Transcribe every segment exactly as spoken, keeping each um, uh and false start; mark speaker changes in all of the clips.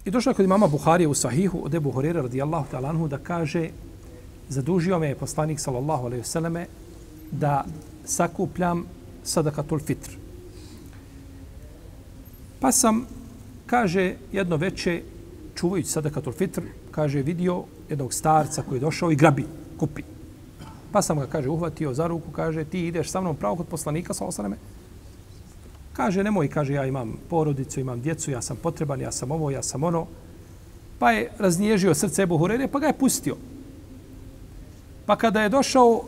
Speaker 1: I došao je kod imama Buharije u Sahihu od Ebu Hurere radijallahu ta'ala anhu da kaže zadužio me je poslanik sallallahu alejhi ve selleme da sakupljam sadakatul fitr. Pa sam, kaže, jedno veče čuvajući sadakatul fitr, kaže, vidio jednog starca koji je došao i grabi, kupi. Pa sam ga, kaže, uhvatio za ruku, kaže, ti ideš sa mnom pravo kod poslanika sallallahu alejhi ve selleme. Kaže, nemoj, kaže, ja imam porodicu, imam djecu, ja sam potreban, ja sam ovo, ja sam ono. Pa je raznježio srce Ebu Hureyre, pa ga je pustio. Pa kada je došao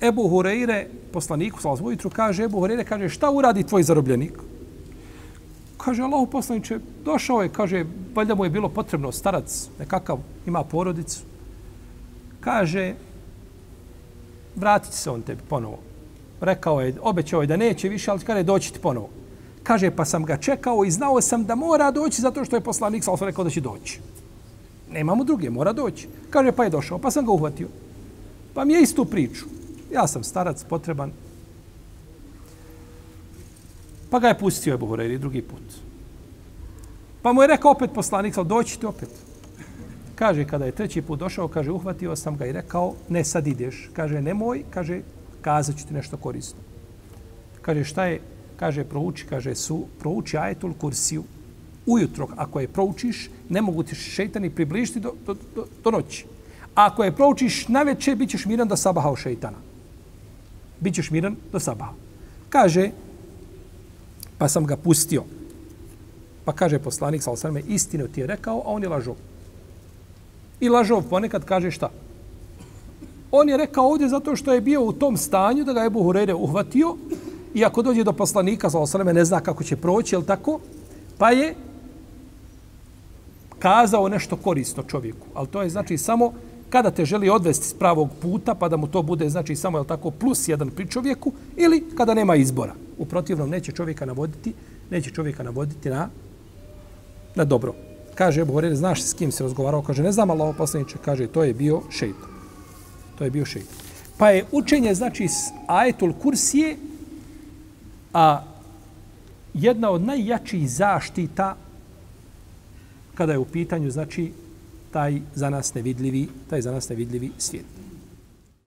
Speaker 1: Ebu Hureyre, poslaniku, sallallahu ujutru, kaže, Ebu Hureyre, kaže, šta uradi tvoj zarobljenik? Kaže, Allahu poslaniče, došao je, kaže, valjda mu je bilo potrebno starac, nekakav, ima porodicu. Kaže, vratit se on tebi ponovo. Rekao je, obećao je da neće više, ali kada je doći ti ponovo. Kaže, pa sam ga čekao i znao sam da mora doći zato što je poslanik sallallahu alejhi ve sellem rekao da će doći. Nemamo druge, mora doći. Kaže, pa je došao, pa sam ga uhvatio. Pa mi je istu priču. Ja sam starac, potreban. Pa ga je pustio Ebu Hureyre drugi put. Pa mu je rekao opet poslanik, sallallahu doći ti opet. Kaže, kada je treći put došao, kaže, uhvatio sam ga i rekao, ne sad ideš. Kaže, nemoj, kaže, kazat ću ti nešto korisno. Kaže, šta je? Kaže, prouči, kaže, su, prouči ajetul kursiju. Ujutro, ako je proučiš, ne mogu ti šeitani približiti do, do, do, do noći. A ako je proučiš na večer, bit ćeš miran do sabaha od šeitana. Bićeš miran do sabaha. Kaže, pa sam ga pustio. Pa kaže poslanik, sallallahu alejhi ve sellem, istinu ti je rekao, a on je lažov. I lažov ponekad kaže šta? On je rekao ovdje zato što je bio u tom stanju da ga je Ebu Hureyre uhvatio i ako dođe do poslanika, sallallahu alejhi ve sellem, ne zna kako će proći, jel tako? Pa je kazao nešto korisno čovjeku. Ali to je znači samo kada te želi odvesti s pravog puta, pa da mu to bude znači samo, jel tako, plus jedan pri čovjeku, ili kada nema izbora. U protivnom neće čovjeka navoditi, neće čovjeka navoditi na, na dobro. Kaže Ebu Hureyre, znaš s kim se razgovarao? Kaže, ne znam, Allaho poslaniče, kaže, to je bio šejtan. To je bio šejtan. Pa je učenje, znači, s ajetul kursije, a jedna od najjačih zaštita kada je u pitanju, znači, taj za nas nevidljivi, taj za nas nevidljivi svijet.